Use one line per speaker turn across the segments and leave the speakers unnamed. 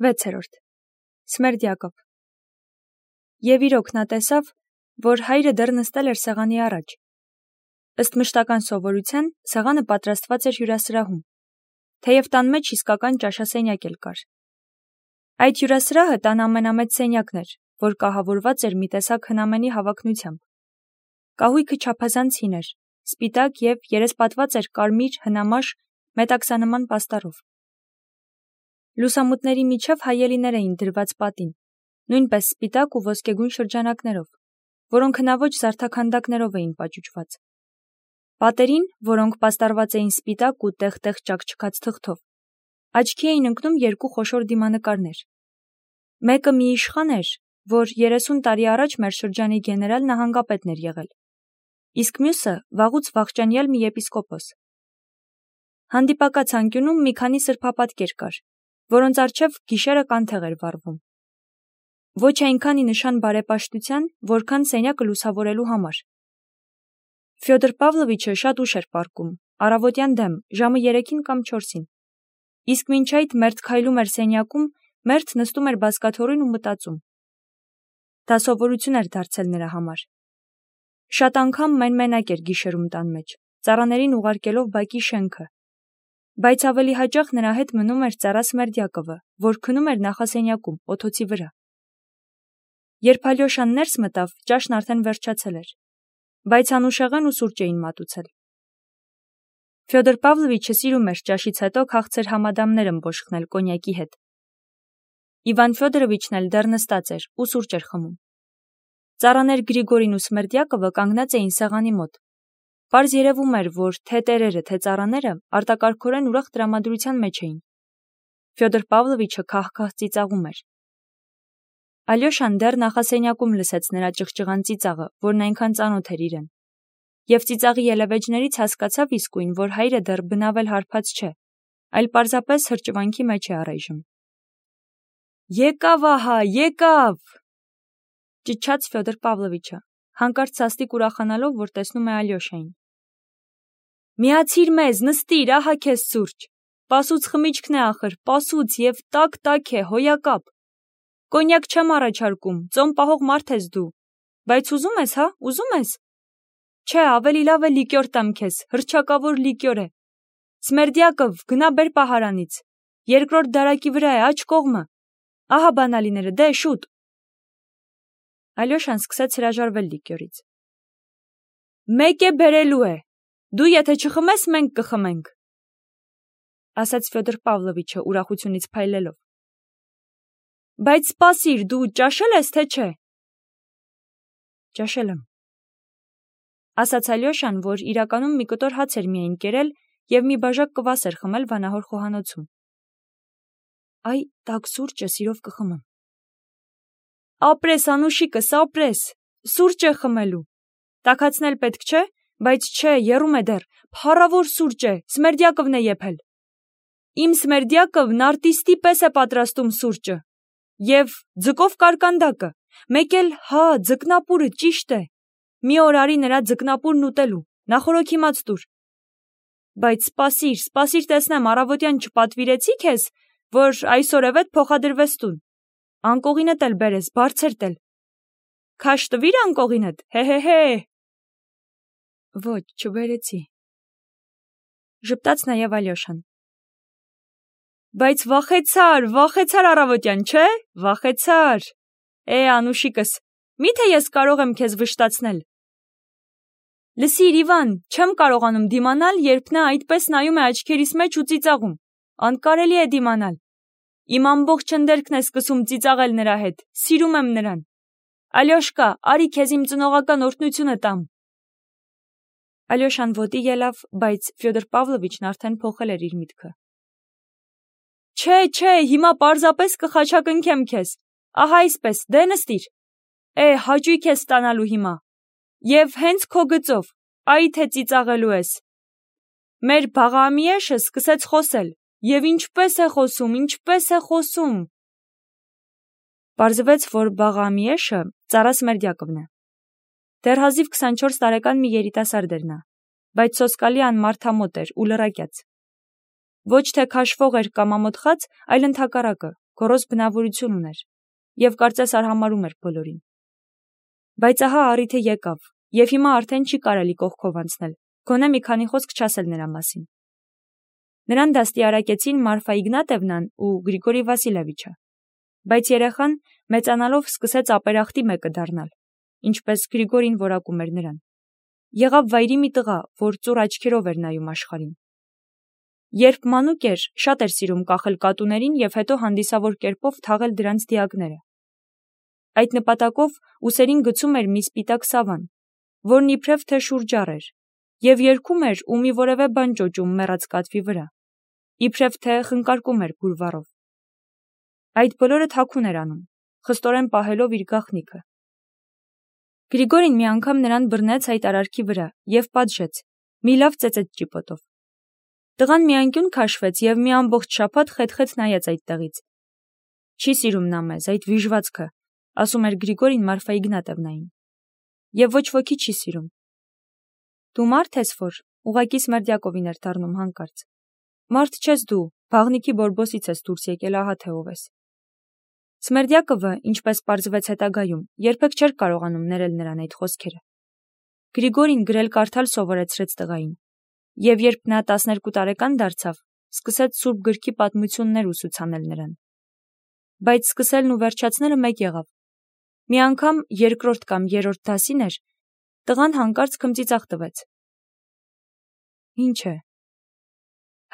6. Սմերդյակով։ Եվ իրոք նա տեսավ, որ հայրը դեռ նստել էր սեղանի առաջ։ Ըստ մշտական սովորության, սեղանը պատրաստված էր հյուրասրահում, թեև տան մեջ իսկական ճաշասենյակ էլ կար։ Այդ հյուրասրահը տան ամենամեծ սենյակն էր, որ կահավորված էր մի տեսակ հնամենի հավակնությամբ։ Կահույքը չափազանց հին էր, սպիտակ և երեսպատված էր կարմիր հնամաշ մետաքսանման պաստառով։ Լուսամուտների միջև հայելիներ էին դրված պատին, նույնպես սպիտակ ու ոսկեգույն շրջանակներով, որոնք հնաոճ զարդաքանդակներով էին պաճուճված։ Պատերին, որոնք պաստառված էին սպիտակ ու տեղ-տեղ ճաքճքած թղթով, աչքի էին ընկնում երկու խոշոր դիմանկարներ։ Մեկը մի իշխան էր, որ 30 տարի առաջ մեր շրջանի գեներալ նահանգապետն էր եղել, իսկ մյուսը վաղուց վախճանյալ մի եպիսկոպոս։ Հանդիպակաց անկյունում մի քանի սրբապատկեր կար, որոնց առջև գիշերը կանթեղ էր վառվում։ Ոչ այնքան ի նշան բարեպաշտության, որքան սենյակը լուսավորելու համար։ Ֆյոդոր Պավլովիչը շատ ուշ էր պառկում, առավոտյան դեմ, ժամը 3-ին կամ 4-ին։ Իսկ մինչ այդ մերթ քայլում էր սենյակում, մերթ նստում էր բազկաթոռին ու մտածում։ Դա սովորություն էր դարձել նրա համար։ Շատ անգամ մեն-մենակ էր գիշերում տան մեջ, ծառաներին ուղարկելով բակի շենքը։ Բայց ավելի հաճախ նրա հետ մնում էր ծառա Սմերդյակովը, որ քնում էր նախասենյակում, օթոցի վրա։ Երբ Ալյոշան ներս մտավ, ճաշն արդեն վերջացել էր, բայց անուշեղեն ու սուրճ էին մատուցել։ Ֆյոդոր Պավլովիչը սիրում էր ճաշից հետո քաղցր համադամներ ըմբոշխնել կոնյակի հետ։ Իվան Ֆյոդորովիչն էլ դեռ նստած էր ու սուրճ էր խմում։ Ծառաներ Գրիգորին ու Սմերդյակովը կանգնած էին սեղանի մոտ։ Պարզ երևում էր, որ թե տերերը, թե ծառաները արտակարգորեն ուրախ տրամադրության մեջ էին։ Ֆյոդոր Պավլովիչը քահ-քահ ծիծաղում էր։ Ալյոշան դեռ նախասենյակում լսեց նրա ճղճղան ծիծաղը, որն այնքան ծանոթ էր իրեն։ Եվ ծիծաղի ելևէջներից հասկացավ իսկույն, որ հայրը դեռ բնավել հարբած չէ, այլ պարզապես հրճվանքի մեջ է առայժմ։ Եկավ ահա, եկավ, ճչաց Ֆյոդոր Պավլովիչը, հանկարծ սաստիկ ուրախանալով, որ տեսնում է Ալյոշային։ Միացիր մեզ, նստիր, ահա քեզ սուրճ։ Պասուց խմիչքն է ախր, պասուց և տաք է, հոյակապ։ Կոնյակ չեմ առաջարկում, ծոմ պահող մարդ ես դու, բայց ուզում ես, հա, ուզում ես։ Չէ, ավելի լավ է լիկյոր տամ քեզ, հռչակավոր լիկյոր է։ Սմերդյակով, գնա բեր պահարանից։ Երկրորդ դարակի վրա է, աջ կողմը։ Ահա բանալիները, դե շուտ։ Ալյոշան սկսեց հրաժարվել լիկյորից։ Մեկ է բերելու է։ Դու եթե չխմես, մենք կխմենք, ասաց Ֆյոդոր Պավլովիչը ուրախությունից փայլելով։ Բայց սպասիր, դու ճաշել ես, թե չէ։ Ճաշել եմ, ասաց Ալյոշան, որ իրականում մի կտոր հաց էր միայն կերել և մի բաժակ կվաս էր խմել վանահոր խոհանոցում։ Այ, տաք սուրճը սիրով կխմեմ։ Ապրես, անուշիկս, ապրես, սուրճ է խմելու։ Տաքացնել պետք չէ, բայց չէ, եռում է դեռ, փառավոր սուրճ է, Սմերդյակովն է եփել։ Իմ Սմերդյակովն արտիստի պես է պատրաստում սուրճը։ Եվ ձկով կարկանդակը, մեկ էլ, հա, ձկնապուրը, ճիշտ է։ Մի օր արի նրա ձկնապուրն ուտելու, նախորոքիմաց տուր։ Բայց սպասիր տեսնեմ, առավոտյան չպատվիրեցի քեզ, որ այսօրևետ փոխադրվես տուն։ Անկողինդ էլ բերես, բարձր տել։ Քաշ տվիր անկողինդ, հե։ Ոչ, չբերեցի, ժպտաց նաև Ալյոշան։ Բայց վախեցար առավոտյան, չէ, վախեցար։ Անուշիկս, միթե ես կարող եմ քեզ վշտացնել։ Լսիր, Իվան, չեմ կարողանում դիմանալ, երբ նա այդպես նայում է աչքերիս մեջ ու ծիծաղում։ Անկարելի է դիմանալ։ Իմ ամբողջ ընդերքն է սկսում ծիծաղել նրա հետ, սիրում եմ նրան։ Ալյոշկա, արի քեզ իմ ծնողական օրհնությունը տամ։ Ալյոշան ոտի ելավ, բայց Ֆյոդոր Պավլովիչն արդեն փոխել էր իր միտքը։ Չէ, հիմա պարզապես կխաչակնքեմ քեզ։ Ահա այսպես, դե նստիր։ Հաճույք ես ստանալու հիմա։ Եվ հենց քո գծով, այ թե ծիծաղելու ես։ Մեր Բաղամիեշը սկսեց խոսել, և ինչպես է խոսում։ Պարզվեց, որ Բաղամիեշը ծառա Սմերդյակովն է։ Դեռ հազիվ 24 տարեկան մի երիտասարդ էր նա, բայց սոսկալի անմարդամոտ էր ու լռակյաց։ Ոչ թե քաշվող էր կամ ամոթխած, այլ ընդհակառակը, գոռոզ բնավորություն ուներ և կարծես արհամարհում էր բոլորին։ Բայց ահա առիթը եկավ, և հիմա արդեն չի կարելի կողքով անցնել, գոնե մի քանի խոսք չասել նրա մասին։ Նրան դաստիարակեցին Մարֆա Իգնատևնան ու Գրիգորի Վասիլևիչը, բայց երեխան մեծանալով սկսեց ապերախտի մեկը դառնալ, ինչպես Գրիգորին որակում էր նրան։ Եղավ վայրի մի տղա, որ ծուռ աչքերով էր նայում աշխարհին։ Երբ մանուկ էր, շատ էր սիրում կախել կատուներին և հետո հանդիսավոր կերպով թաղել դրանց դիակները։ Այդ նպատակով ուսերին գցում էր մի սպիտակ սավան, որն իբրև թե շուրջառ էր, և երգում էր ու մի որևէ բան ճոճում մեռած կատվի վրա, իբրև թե խնկարկում էր բուրվառով։ Այդ բոլորը թաքուն էր անում, խստորեն պահելով իր գաղտնիքը։ Գրիգորին մի անգամ նրան բռնեց այդ արարքի վրա և պատժեց, մի լավ ծեծեց ճիպոտով։ Տղան մի անկյուն քաշվեց և մի ամբողջ շաբաթ խեթ-խեթ նայեց այդտեղից։ Չի սիրում նա մեզ, այդ վիժվածքը, ասում էր Գրիգորին Մարֆա Իգնատևնային, և ոչ ոքի չի սիրում։ Դու մարդ ես, որ ուղղակի Սմերդյակովին էր դառնում հանկարծ։ Մարդ չես դու, բաղնիքի բորբոսից ես դուրս եկել, ահա թե ով ես։ Սմերդյակովը, ինչպես պարզվեց հետագայում, երբեք չէր կարողանում ներել նրան այդ խոսքերը։ Գրիգորին գրել-կարդալ սովորեցրեց տղային, և երբ նա 12 տարեկան դարձավ, սկսեց Սուրբ գրքի պատմություններ ուսուցանել նրան։ Բայց սկսելն ու վերջացնելը մեկ եղավ։ Մի անգամ երկրորդ կամ երրորդ դասին էր, տղան հանկարծ քմծիծաղ տվեց։ Ինչ է,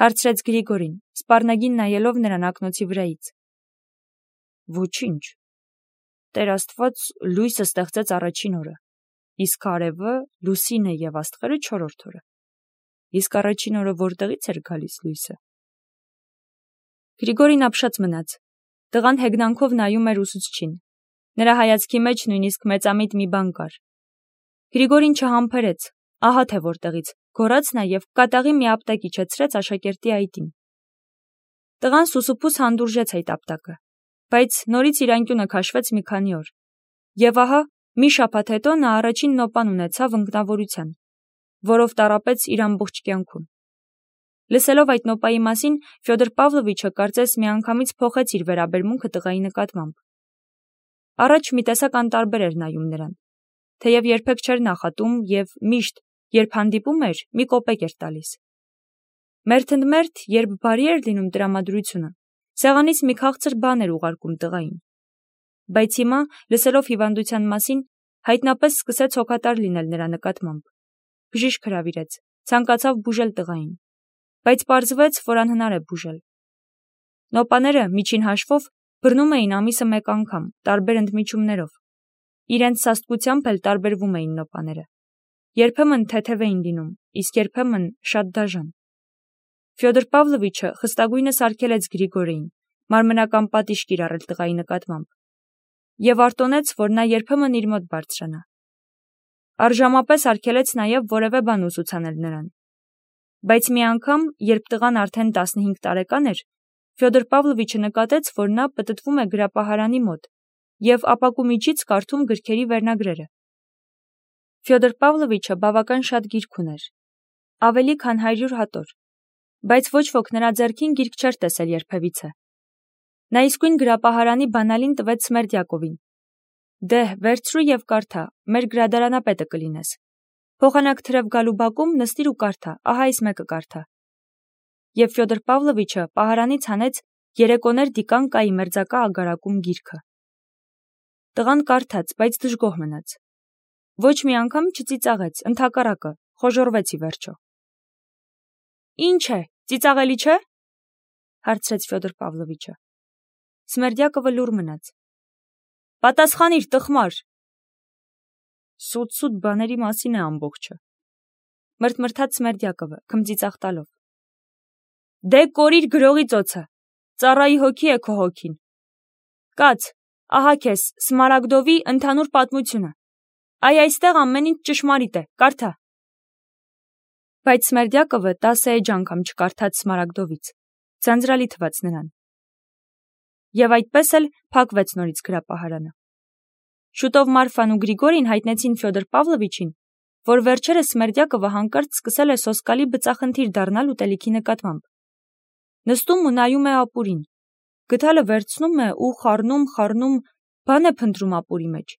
հարցրեց Գրիգորին, սպառնագին նայելով նրան ակնոցի վրայից։ Ոչինչ։ Տեր Աստված լույսը ստեղծեց առաջին օրը, իսկ արևը, լուսինը և աստղերը չորրորդ օրը։ Իսկ առաջին օրը որտեղից էր գալիս լույսը։ Գրիգորին ապշած մնաց։ Տղան հեգնանքով նայում էր ուսուցչին։ Նրա հայացքի մեջ նույնիսկ մեծամիտ մի բան կար։ Գրիգորին չհամբերեց, ահա թե որտեղից, գոռաց նա և կատաղի մի ապտակ իջեցրեց աշակերտի այտին։ Տղան սուսուփուս հանդուրժեց այդ ապտակը, բայց նորից իր անկյունը քաշվեց մի քանի օր։ Եվ ահա մի շաբաթ հետո նա առաջին նոպան ունեցավ ընկնավորության, որով տառապեց իր ամբողջ կյանքում։ Լսելով այդ նոպայի մասին, Ֆյոդոր Պավլովիչը կարծես միանգամից փոխեց իր վերաբերմունքը տղայի նկատմամբ։ Առաջ մի տեսակ անտարբեր էր նայում նրան, թեև երբեք չէր նախատում և միշտ, երբ հանդիպում էր, մի կոպեկ էր տալիս։ Մերթընդմերթ, երբ բարի էր լինում տրամադրությունը, սեղանից մի քաղցր բան էր ուղարկում տղային։ Բայց հիմա, լսելով հիվանդության մասին, հայտնապես սկսեց հոգատար լինել նրա նկատմամբ։ Բժիշկ հրավիրեց, ցանկացավ բուժել տղային, բայց պարզվեց, որ անհնար է բուժել։ Նոպաները, միջին հաշվով, բռնում էին ամիսը մեկ անգամ, տարբեր ընդմիջումներով։ Իրենց սաստկությամբ էլ տարբերվում էին նոպաները։ Երբեմն թեթև էին լինում, իսկ երբեմն շատ դաժան։ Ֆյոդոր Պավլովիչը խստագույնս արգելեց Գրիգորիին մարմնական պատիժ կիրառել տղայի նկատմամբ և արտոնեց, որ նա երբեմն իր մոտ բարձրանա։ Առժամապես արգելեց նաև որևէ բան ուսուցանել նրան։ Բայց մի անգամ, երբ տղան արդեն 15 տարեկան էր, Ֆյոդոր Պավլովիչը նկատեց, որ նա պտտվում է գրապահարանի մոտ և ապակու միջից կարդում գրքերի վերնագրերը։ Ֆյոդոր Պավլովիչը բավական շատ գիրք ուներ, ավելի քան 100 հատոր, բայց ոչ ոք նրա ձեռքին գիրք չէր տեսել երբևիցե։ Նա իսկույն գրապահարանի բանալին տվեց Սմերդյակովին։ Դե, վերցրու և կարդա, մեր գրադարանապետը կլինես։ Փոխանակ թրև գալու բակում նստիր ու կարդա, ահա այս մեկը կարդա։ Եվ Ֆյոդոր Պավլովիչը պահարանից հանեց երեկոներ դիկան կայի մերձակա ագարակում գիրքը։ Տղան կարդաց, բայց դժգոհ մնաց։ Ոչ մի անգամ չծիծաղեց, ընդհակառակը, խոժոռվեց ի վերջո։ Ինչ է, ծիծաղելի չէ՞, հարցրեց Ֆյոդոր Պավլովիչը։ Սմերդյակովը լուռ մնաց։ Պատասխանիր, տխմար։ Սուտ բաների մասին է ամբողջը, մրթմրթաց Սմերդյակովը, քմծիծաղ տալով։ Դե կորիր գրողի ծոցը, ծառայի հոգի է քո հոգին։ Կաց, ահա քեզ Սմարագդովի ընդհանուր պատմությունը։ Այստեղ ամեն ինչ ճշմարիտ է, կարդա։ Բայց Սմերդյակովը 10 էջ անգամ չկարդաց Սմարագդովից, ձանձրալի թվաց նրան։ Եվ այդպես էլ փակվեց նորից գրապահարանը։ Շուտով Մարֆան ու Գրիգորին հայտնեցին Ֆյոդոր Պավլովիչին, որ վերջերս Սմերդյակովը հանկարծ սկսել է սոսկալի բծախնդիր դառնալ ուտելիքի նկատմամբ։ Նստում ու նայում է ապուրին, գդալը վերցնում է ու խառնում, բան է փնտրում ապուրի մեջ,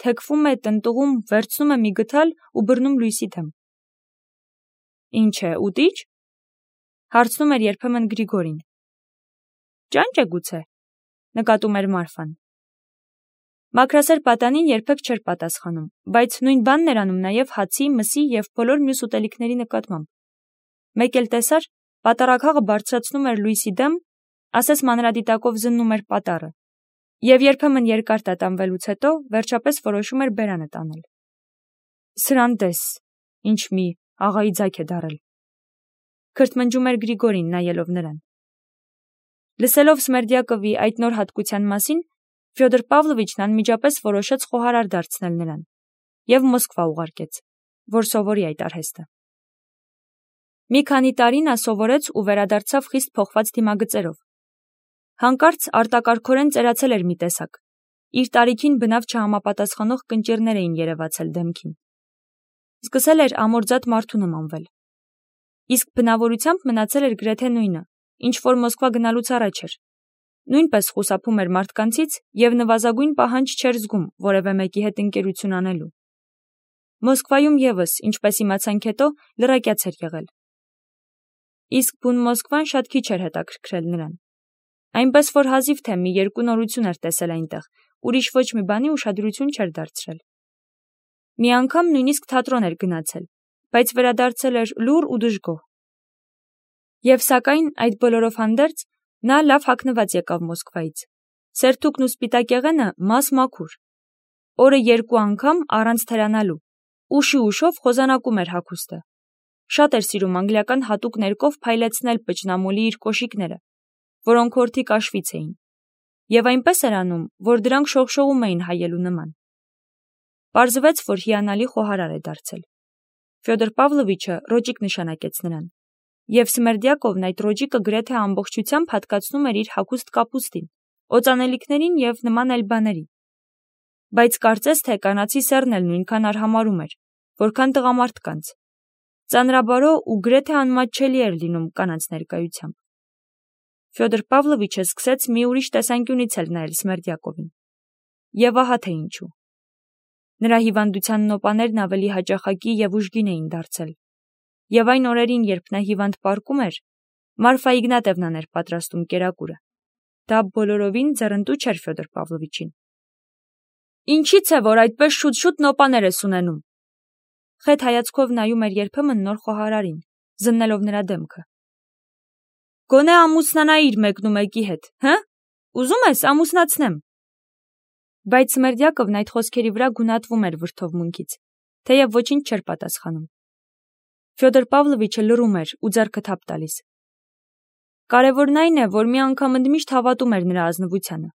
թեքվում է, տնտղում, վերցնում է մի գդալ ու բռնում լույսի դեմ։ Ինչ է, ուտիչ։ Հարցնում էր երբեմն Գրիգորին։ Ճանճ է գուցե, նկատում էր Մարֆան։ Մաքրասեր պատանին երբեք չէր պատասխանում, բայց նույն բանն էր անում նաև հացի, մսի և բոլոր մյուս ուտելիքների նկատմամբ։ Մեկ էլ տեսար, պատարագաղը բարձրացնում էր լույսի դեմ, ասես մանրադիտակով զննում էր պատառը, և երբեմն երկար տատանվելուց հետո վերջապես որոշում էր բերանը տանել։ Սրան տես, ինչ մի աղայի ձագ է դառել, քրթմնջում էր Գրիգորին, նայելով նրան։ Լսելով Սմերդյակովի այդ նոր հատկության մասին, Ֆյոդոր Պավլովիչն անմիջապես որոշեց խոհարար դարձնել նրան և Մոսկվա ուղարկեց, որ սովորի այդ արհեստը։ Մի քանի տարի նա սովորեց ու վերադարձավ խիստ փոխված դիմագծերով։ Հանկարծ արտակարգորեն ծերացել էր մի տեսակ։ Իր տարիքին բնավ չհամապատասխանող կնճիռներ էին երևացել դեմքին։ Սկսել էր ամորձատ մարդու նմանվել։ Իսկ բնավորությամբ մնացել էր գրեթե նույնը, ինչ որ Մոսկվա գնալուց առաջ էր։ Նույնպես խուսափում էր մարդկանցից և նվազագույն պահանջ չէր զգում որևէ մեկի հետ ընկերություն անելու։ Մոսկվայում ևս, ինչպես իմացանք հետո, լրակյաց էր եղել։ Իսկ բուն Մոսկվան շատ քիչ էր հետաքրքրել նրան։ Այնպես որ հազիվ թե մի երկու նորություն էր տեսել այնտեղ, ուրիշ ոչ մի բանի ուշադրություն չէր դարձրել։ Մի անգամ նույնիսկ թատրոն էր գնացել, բայց վերադարձել էր լուռ ու դժգոհ։ Եվ սակայն այդ բոլորով հանդերձ նա լավ հագնված եկավ Մոսկվայից։ Սերթուկն ու սպիտակեղենը մաս-մաքուր։ Օրը 2 անգամ առանց թերանալու, ուշի-ուշով խոզանակում էր հագուստը։ Շատ էր սիրում անգլիական հատուկ ներկով փայլեցնել պճնամոլի իր կոշիկները, որոնք հորթի կաշվից էին, և այնպես էր անում, որ դրանք շողշողում էին հայելու նման։ Պարզվեց, որ հիանալի խոհարար է դարձել։ Ֆյոդոր Պավլովիչը ռոճիկ նշանակեց նրան, և Սմերդյակովն այդ ռոճիկը գրեթե ամբողջությամբ հատկացնում էր իր հագուստ կապուստին, օծանելիքներին և նման այլ բաների։ Բայց կարծես թե կանացի սեռն էլ նույնքան արհամարհում էր, որքան տղամարդկանց։ Ծանրաբարո ու գրեթե անմատչելի էր լինում կանանց ներկայությամբ։ Ֆյոդոր Պավլովիչը սկսեց մի ուրիշ տեսանկյունից էլ նայել Սմերդյակովին։ Եվ ահա թե ինչու։ Նրա հիվանդության նոպաներն ավելի հաճախակի և ուժգին էին դարձել։ Եվ այն օրերին, երբ նա հիվանդ պառկում էր, Մարֆա Իգնատևնան էր պատրաստում կերակուրը։ Դա բոլորովին ձեռնտու չէր Ֆյոդոր Պավլովիչին։ Ինչի՞ց է, որ այդպես շուտ-շուտ նոպաներ ես ունենում։ Խետ հայացքով նայում էր երբեմն նոր խոհարարին, զննելով նրա դեմքը։ Գոնե ամուսնանայիր մեկնումեկի հետ, հը՞։ Ուզում ես ամուսնացնեմ։ Բայց Սմերդյակովն այդ խոսքերի վրա գունատվում էր վրդովմունքից, թեև ոչինչ չէր պատասխանում։ Ֆյոդոր Պավլովիչը լռում էր ու ձեռքը թափ տալիս։ Կարևորն այն է, որ մի անգամ ընդմիշտ հավատում էր նրա ազնվությանը։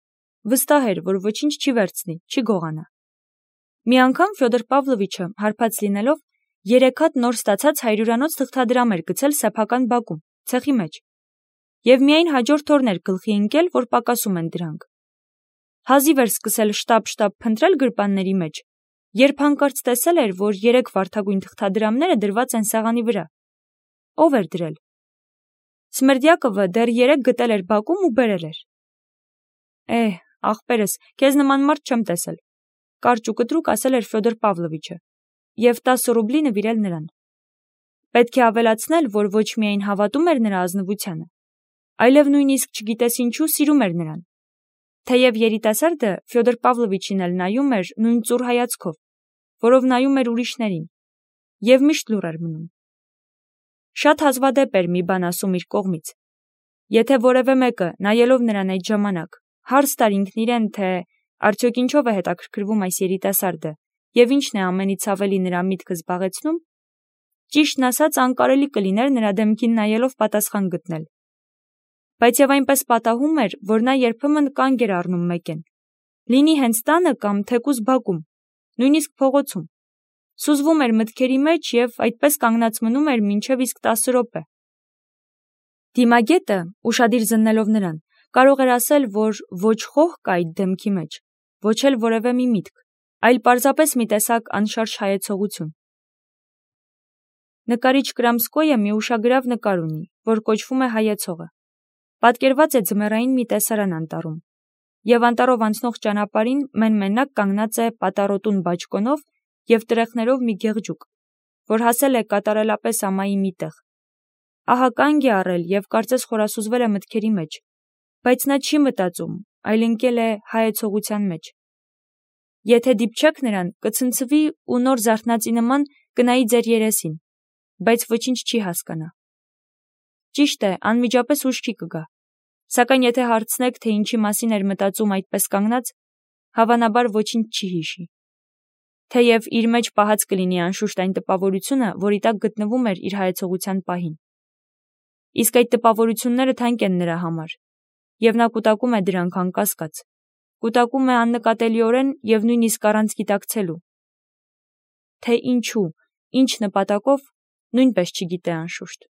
Վստահ էր, որ ոչինչ չի վերցնի, չի գողանա։ Մի անգամ Ֆյոդոր Պավլովիչը, հարբած լինելով, 3 հատ նոր ստացած 100-անոց թղթադրամ էր գցել սեփական բակում, ցեխի մեջ, և միայն հաջորդ օրն էր գլխի ընկել, որ պակասում են դրանք։ Հազիվ էր սկսել շտապ-շտապ փնտրել գրպանների մեջ, երբ հանկարծ տեսել էր, որ 3 վարդագույն թղթադրամները դրված են սեղանի վրա։ Ո՞վ էր դրել։ Սմերդյակովը դեռ 3 գտել էր բակում ու բերել էր։ Ախպերս, քեզ նման մարդ չեմ տեսել, կարճ ու կտրուկ ասել էր Ֆյոդոր Պավլովիչը, և 10 ռուբլի նվիրել նրան։ Պետք է ավելացնել, որ ոչ միայն հավատում էր նրա ազնվությանը, այլև նույնիսկ չգիտես ինչու սիրում էր նրան։ Թեև երիտասարդը Ֆյոդոր Պավլովիչին էլ նայում էր նույն ծուռ հայացքով, որով նայում էր ուրիշներին, և միշտ լուռ էր մնում։ Շատ հազվադեպ էր մի բան ասում իր կողմից։ Եթե որևէ մեկը, նայելով նրան այդ ժամանակ, հարց տար ինքն իրեն, թե արդյոք ինչով է հետաքրքրվում այս երիտասարդը և ինչն է ամենից ավելի նրա միտքը զբաղեցնում, ճիշտն ասած անկարելի կլիներ նրա դեմքին նայելով պատասխան գտնել։ Բայց և այնպես պատահում էր, որ նա երբեմն կանգ էր առնում մեկեն, լինի հենց տանը կամ թեկուզ բակում, նույնիսկ փողոցում, սուզվում էր մտքերի մեջ և այդպես կանգնած մնում էր մինչև իսկ 10 րոպե։ Դիմագետը, ուշադիր զննելով նրան, կարող էր ասել, որ ոչ խոհ կա այդ դեմքի մեջ, ոչ էլ որևէ մի միտք, այլ պարզապես մի տեսակ անշարժ հայեցողություն։ Նկարիչ Կրամսկոյը մի ուշագրավ նկար ունի, որ կոչվում է Հայեցողը։ Պատկերված է ձմեռային մի տեսարան անտառում, եւ անտառով անցնող ճանապարհին մեն-մենակ կանգնած է պատառոտուն բաճկոնով եւ տրեխներով մի գեղջուկ, որ հասել է կատարելապես ամայի մի տեղ։ Ահա կանգ է առել եւ կարծես խորասուզվել է մտքերի մեջ, բայց նա չի մտածում, այլ ընկել է հայեցողության մեջ։ Եթե դիպչեք նրան, կցնցվի ու նոր զարթնածի նման կնայի ձեր երեսին, բայց ոչինչ չի հասկանա։ Ճիշտ է, անմիջապես ուշ չի կգա, սակայն եթե հարցնեք, թե ինչի մասին էր մտածում այդպես կանգնած, հավանաբար ոչինչ չի հիշի։ Թեև իր մեջ պահած կլինի անշուշտ այն տպավորությունը, որի տակ գտնվում էր իր հայեցողության պահին։ Իսկ այդ տպավորությունները թանկ են նրա համար, եւ նա կուտակում է դրանք անկասկած, կուտակում է աննկատելիորեն եւ նույնիսկ առանց գիտակցելու։ Թե ինչու, ինչ նպատակով, նույնպես չգիտե անշուշտ։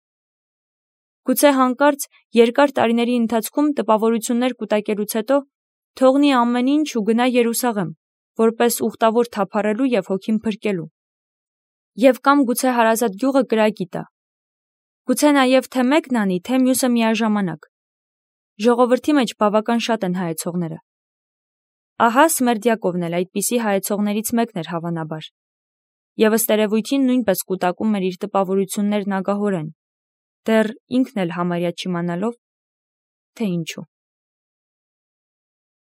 Գուցե հանկարծ երկար տարիների ընթացքում տպավորություններ կուտակելուց հետո թողնի ամեն ինչ ու գնա Երուսաղեմ, որպես ուխտավոր թափառելու եւ հոգին փրկելու։ Եվ կամ գուցե հարազատ գյուղը կրակի տա։ Գուցե նաեւ թե մեկն անի, թե մյուսը միաժամանակ։ Ժողովրդի մեջ բավական շատ են հայեցողները։ Ահա Սմերդյակովն էլ այդպիսի հայեցողներից մեկն էր հավանաբար։ Եվ ըստ երևույթին նույնպես կուտակում էր իր տպավորություններն ագահորեն, դեռ ինքն էլ համարյա չիմանալով, թե ինչու։